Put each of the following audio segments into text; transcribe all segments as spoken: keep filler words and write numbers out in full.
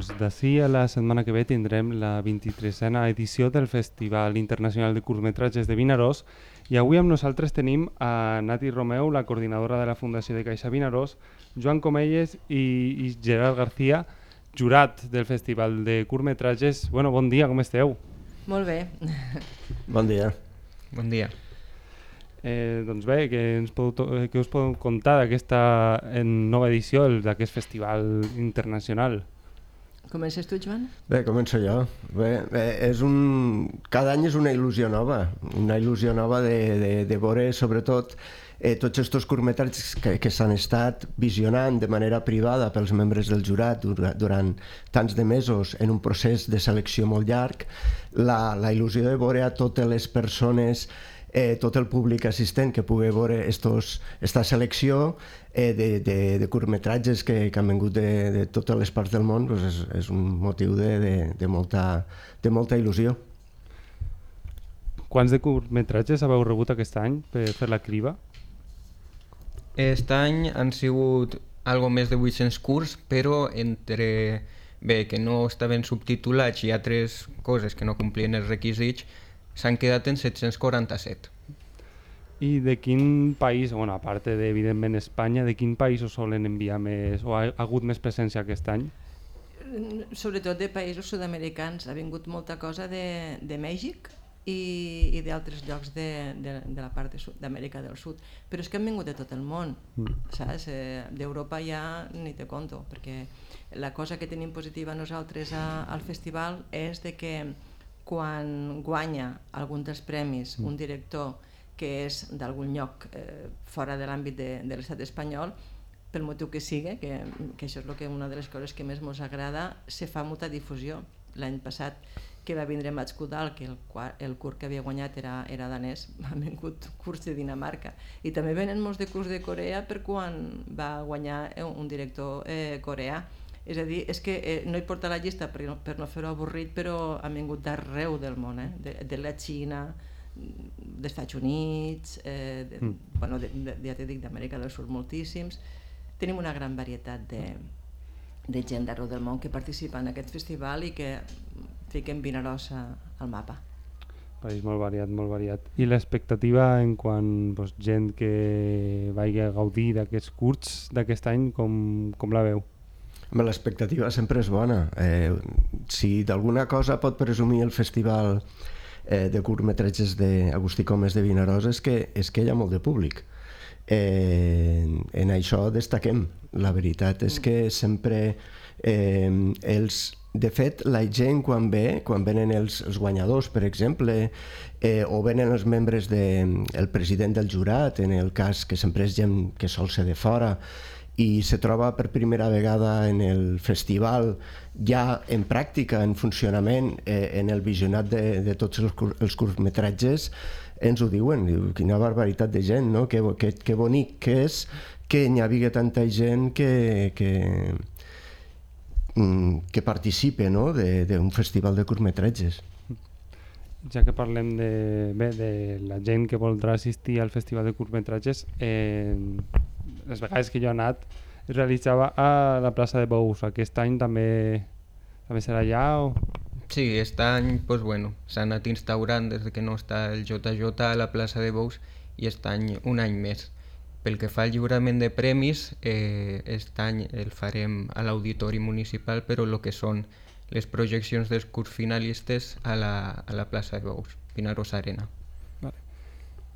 doncs d'ací a la setmana que ve tindrem la vint-i-tresena edició del Festival Internacional de Curtmetratges de Vinaròs i avui amb nosaltres tenim a Nati Romeu, la coordinadora de la Fundació de Caixa Vinaròs, Joan Comelles i, i Gerard García, jurat del Festival de Curtmetratges. Bueno, bon dia, com esteu? Molt bé. Bon dia. Bon dia. Eh, doncs bé, què, ens podeu, què us podeu contar d'aquesta nova edició d'aquest festival internacional? Comences tu, Joan? Bé, començo jo. Bé, bé, és un... Cada any és una il·lusió nova, una il·lusió nova de, de, de veure sobretot eh, tots aquests curtmetratges que, que s'han estat visionant de manera privada pels membres del jurat durant, durant tants de mesos en un procés de selecció molt llarg, la, la il·lusió de veure a totes les persones, Eh, tot el públic assistent que pugui veure aquesta selecció eh, de, de, de curtmetratges que, que han vingut de, de totes les parts del món, doncs és, és un motiu de, de, de, molta, de molta il·lusió. Quants de curtmetratges haveu rebut aquest any per fer la criba? Aquest any han sigut algo més de vuit-cents curts, però entre bé, que no estaven subtitulats i altres coses que no complien els requisits, s'han quedat en set-cents quaranta-set. I de quin país, bueno, a part de, evidentment, Espanya, de quin país us solen enviar més, o ha, ha hagut més presència aquest any? Sobretot de països sud-americans. Ha vingut molta cosa de, de Mèxic i, i d'altres llocs de, de, de la part d'Amèrica del Sud. Però és que han vingut de tot el món, mm. saps? Eh, D'Europa ja ni te conto, perquè la cosa que tenim positiva nosaltres a, al festival és de que quan guanya algun dels premis un director que és d'algun lloc eh, fora de l'àmbit de, de l'estat espanyol, pel motiu que sigui, que, que això és lo que una de les coses que més ens agrada, se fa molta difusió. L'any passat que va vindre Mats Kudal, que el, el curt que havia guanyat era, era danès, han vingut curts de Dinamarca. I també venen molts de curts de Corea per quan va guanyar un director eh, coreà. És a dir, és que eh, no hi porta la llista per, per no fer-ho avorrit, però han vingut d'arreu del món, eh? de, de la Xina, dels Estats Units, eh, de, mm. bueno, de, de, ja t'he dit, d'Amèrica del Sud moltíssims. Tenim una gran varietat de, de gent d'arreu del món que participa en aquest festival i que fiquen Vinaròs al mapa. País molt variat, molt variat. I l'expectativa en quant doncs, gent que vagi a gaudir d'aquests curts d'aquest any, com, com la veu? L'expectativa sempre és bona. Eh, si d'alguna cosa pot presumir el festival eh, de curtmetratges d'Agustí Comes de Vinaròs és que, és que hi ha molt de públic. Eh, en això destaquem. La veritat és que sempre eh, els... De fet, la gent quan ve, quan venen els, els guanyadors, per exemple, eh, o venen els membres del de, president del jurat, en el cas que sempre és gent que sol ser de fora, i se troba per primera vegada en el festival ja en pràctica, en funcionament, eh, en el visionat de, de tots els, cur els curtmetratges, ens ho diuen, diu, quina barbaritat de gent, no? Que, que, que bonic que és que n'hi havia tanta gent que, que, que participe, no? d'un festival de curtmetratges. Ja que parlem de, bé, de la gent que voldrà assistir al festival de curtmetratges, eh, les vegades que jo he anat es realitzava a la plaça de Bous. Aquest any també, també serà allà? O... Sí, aquest any pues, bueno, s'ha anat instaurant des que no està el J J a la plaça de Bous i aquest any un any més. Pel que fa al lliurament de premis, eh, aquest any el farem a l'Auditori Municipal, però el que són les projeccions dels curts finalistes a la, a la plaça de Bous, Vinaròs Arena. Vale.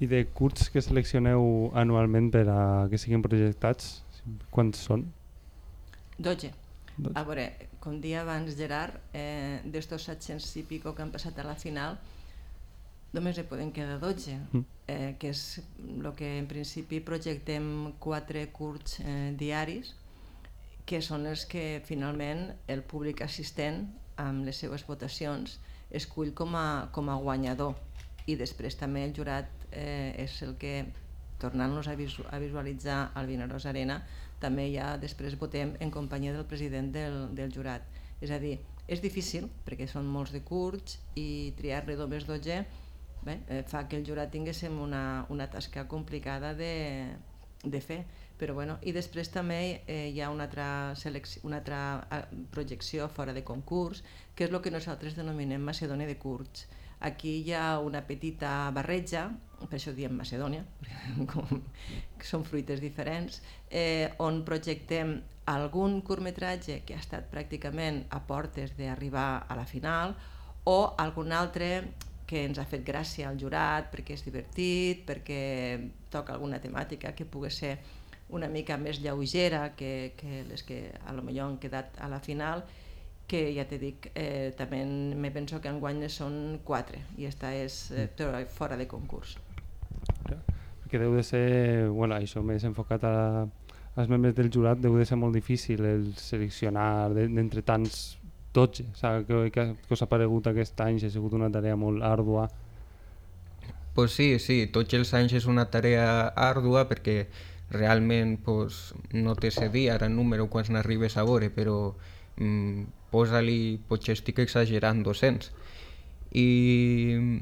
I de curts que seleccioneu anualment per a que siguin projectats, quants són? dotze. A veure, com dia abans Gerard, eh, d'estos set-cents i pico que han passat a la final, només en poden quedar dotze, mm. eh, que és el que en principi projectem quatre curts eh, diaris, que són els que finalment el públic assistent amb les seues votacions escull com a, com a guanyador, i després també el jurat eh, és el que, tornant-nos a, visu a visualitzar al Vinaròs Arena, també ja després votem en companyia del president del, del jurat. És a dir, és difícil perquè són molts de curts i triar-ne només dotze bé, eh, fa que el jurat tinguéssim una, una tasca complicada de, de fer. Però bueno, i després també eh, hi ha una altra, selecció, una altra projecció fora de concurs, que és el que nosaltres denominem Macedònia de curts. Aquí hi ha una petita barreja, per això diem Macedònia, com, són fruites diferents, eh, on projectem algun curtmetratge que ha estat pràcticament a portes d'arribar a la final, o algun altre que ens ha fet gràcia al jurat perquè és divertit, perquè toca alguna temàtica que pugui ser una mica més lleugera que, que les que a lo millor han quedat a la final, que ja t'he dit, eh, també me penso que enguany són quatre i esta és eh, fora de concurs. Perquè deu de ser, bueno, això més enfocat a, als membres del jurat, deu de ser molt difícil el seleccionar d'entre tants dotze, que, que, que us ha paregut aquest any, ha sigut una tarea molt àrdua. Pues sí, sí, tots els anys és una tarea àrdua perquè realment pues, no té se dir ara número quan n'arribes a veure, però mm, posa-li, potser estic exagerant, dos-cents. I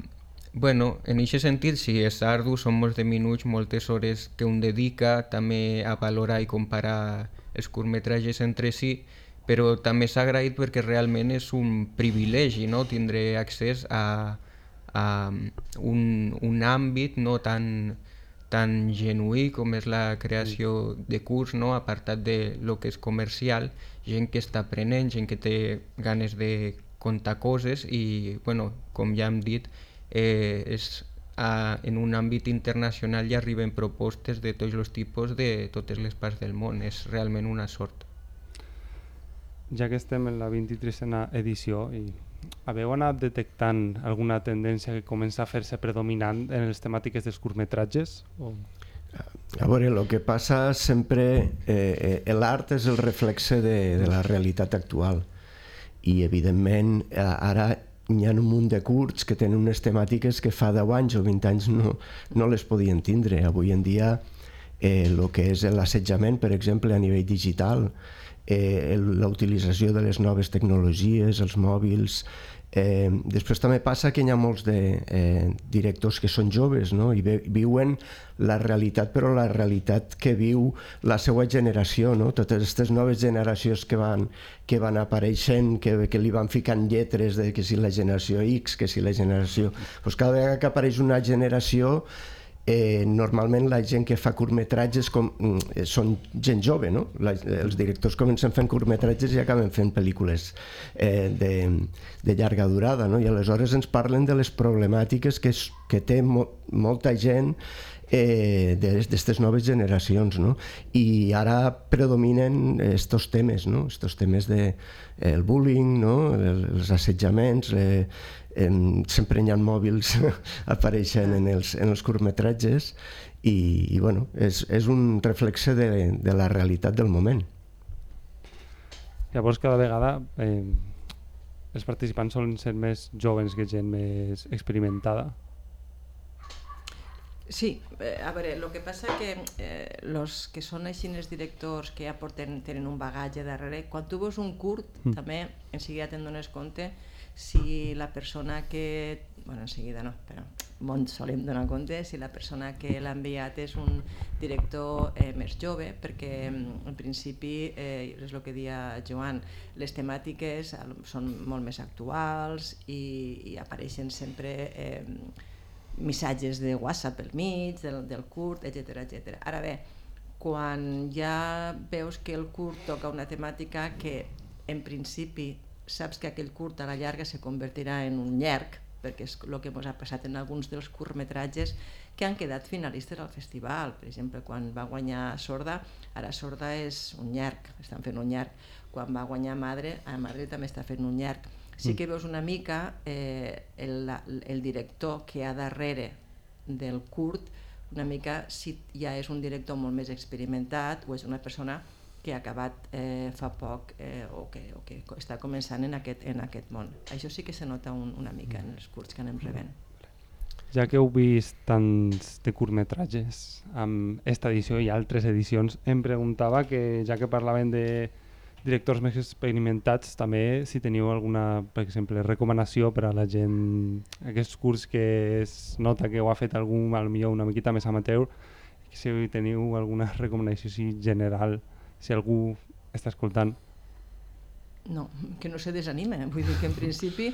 bueno, en aquest sentit sí, és ardu, són molts de minuts, moltes hores que un dedica també a valorar i comparar els curtmetratges entre si, però també s'ha agraït perquè realment és un privilegi, no?, tindre accés a, a un, un àmbit no tan, tan genuí com és la creació de curts, no?, apartat de lo que és comercial, gent que està aprenent, gent que té ganes de contar coses i, bueno, com ja hem dit, eh, és a, en un àmbit internacional ja arriben propostes de tots els tipus de totes les parts del món, és realment una sort. Ja que estem en la vint-i-tresena edició, i haveu anat detectant alguna tendència que comença a fer-se predominant en les temàtiques dels curtmetratges? O... A veure, el que passa sempre, eh, l'art és el reflexe de, de la realitat actual i evidentment ara hi ha un munt de curts que tenen unes temàtiques que fa deu anys o vint anys no, no les podien tindre. Avui en dia eh, el que és l'assetjament, per exemple, a nivell digital, eh, la utilització de les noves tecnologies, els mòbils. Eh, després també passa que hi ha molts de eh, directors que són joves, no?, i viuen la realitat, però la realitat que viu la seva generació, no? Totes aquestes noves generacions que van, que van apareixent, que, que li van ficant lletres de que si la generació X, que si la generació... Pues cada vegada que apareix una generació, Eh, normalment la gent que fa curtmetratges com, eh, són gent jove, no? La, els directors comencen fent curtmetratges i acaben fent pel·lícules eh, de, de llarga durada, no? I aleshores ens parlen de les problemàtiques que, és, que té mo, molta gent eh, d'aquestes noves generacions, no? I ara predominen estos temes, no? Estos temes de eh, el bullying, no? El, els assetjaments, eh, En, sempre hi ha mòbils apareixent en els, en els curtmetratges i, i bueno, és, és un reflexe de, de la realitat del moment. Llavors cada vegada eh, els participants solen ser més joves que gent més experimentada. Sí, eh, a veure, el que passa que eh, los que són així els directors que ja porten, tenen un bagatge darrere, quan tu veus un curt mm. també en seguida te'n dones compte si la persona que, bueno, en seguida no, però molt solem donar compte si la persona que l'ha enviat és un director eh, més jove, perquè en principi, eh, és el que deia Joan, les temàtiques són molt més actuals i, i apareixen sempre eh, missatges de WhatsApp pel mig, del, del curt, etcètera, etcètera. Ara bé, quan ja veus que el curt toca una temàtica que en principi saps que aquell curt a la llarga se convertirà en un llarg, perquè és el que ens ha passat en alguns dels curtmetratges que han quedat finalistes al festival. Per exemple, quan va guanyar Sorda, ara Sorda és un llarg, estan fent un llarg. Quan va guanyar Madre, a Madre també està fent un llarg. Sí que veus una mica eh, el, el director que hi ha darrere del curt, una mica si ja és un director molt més experimentat o és una persona que ha acabat eh, fa poc eh, o, que, o que està començant en aquest, en aquest món. Això sí que se nota un, una mica en els curts que anem rebent. Ja que heu vist tants de curtmetratges amb esta edició i altres edicions, em preguntava que, ja que parlaven de directors més experimentats, també si teniu alguna, per exemple, recomanació per a la gent, aquests curts que es nota que ho ha fet algú, potser una miqueta més amateur, si teniu alguna recomanació així general, si algú està escoltant. No, que no se desanime. Vull dir que en principi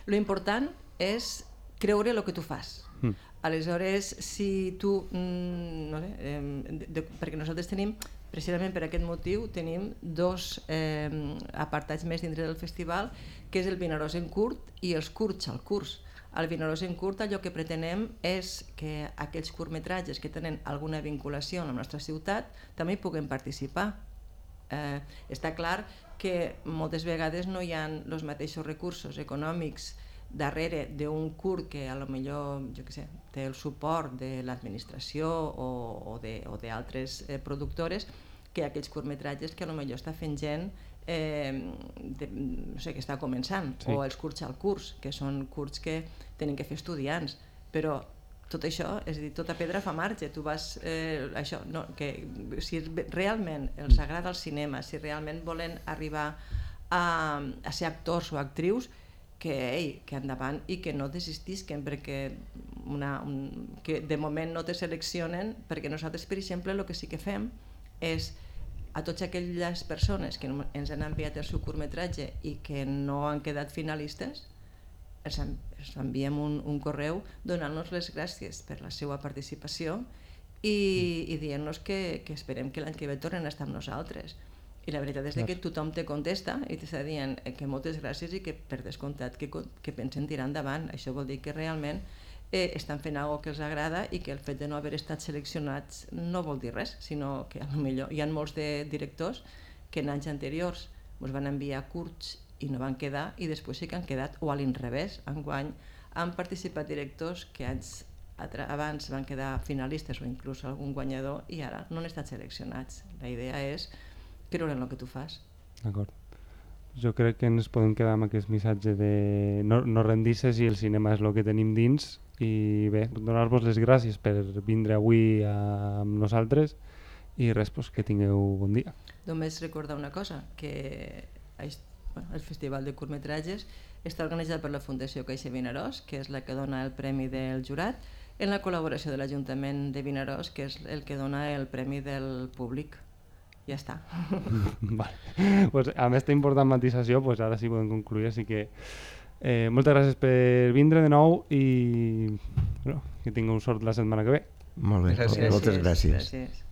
lo important és creure el que tu fas. Mm. Aleshores, si tu, no sé, eh, de, de, perquè nosaltres tenim, precisament per aquest motiu, tenim dos eh, apartats més dintre del festival, que és el Vinaròs en curt i els curts al curs. Al Vinaròs en curt allò que pretenem és que aquells curtmetratges que tenen alguna vinculació amb la nostra ciutat també hi puguem participar. Eh, està clar que moltes vegades no hi ha els mateixos recursos econòmics darrere d'un curt que a lo millor, jo què sé, té el suport de l'administració o, o d'altres eh, productores que aquells curtmetratges que a lo millor està fent gent eh, de, no sé, que està començant, sí. O els curts al curs, que són curts que tenen que fer estudiants, però tot això, és a dir, tota pedra fa marge, tu vas, eh, això, no, que si realment els agrada el cinema, si realment volen arribar a, a ser actors o actrius, que, ei, que endavant i que no desistisquen perquè una, un, que de moment no te seleccionen, perquè nosaltres, per exemple, el que sí que fem és a totes aquelles persones que ens han enviat el seu curtmetratge i que no han quedat finalistes, els, els enviem un, un correu donant-nos les gràcies per la seva participació i, i dient-nos que, que esperem que l'any que ve tornen a estar amb nosaltres. I la veritat és que tothom te contesta i t'està dient que moltes gràcies i que per descomptat que, que pensen tirar endavant. Això vol dir que realment eh, estan fent alguna cosa que els agrada i que el fet de no haver estat seleccionats no vol dir res, sinó que potser hi ha molts de directors que en anys anteriors ens van enviar curts i no van quedar i després sí que han quedat, o a l'inrevés, enguany han participat directors que anys abans van quedar finalistes o inclús algun guanyador i ara no han estat seleccionats. La idea és creure en el que tu fas. D'acord. Jo crec que ens podem quedar amb aquest missatge de no, no rendir-se si el cinema és el que tenim dins i bé, donar-vos les gràcies per vindre avui a, amb nosaltres i res, pues, que tingueu bon dia. Només recordar una cosa, que bueno, el Festival de Curtmetratges està organitzat per la Fundació Caixa Vinaròs, que és la que dona el Premi del Jurat, en la col·laboració de l'Ajuntament de Vinaròs, que és el que dona el Premi del Públic. Ja està. Vale. Pues, amb aquesta important matisació, pues, ara sí podem concluir, així que eh, moltes gràcies per vindre de nou i bueno, que tingueu sort la setmana que ve. Molt bé, gràcies. moltes gràcies. gràcies.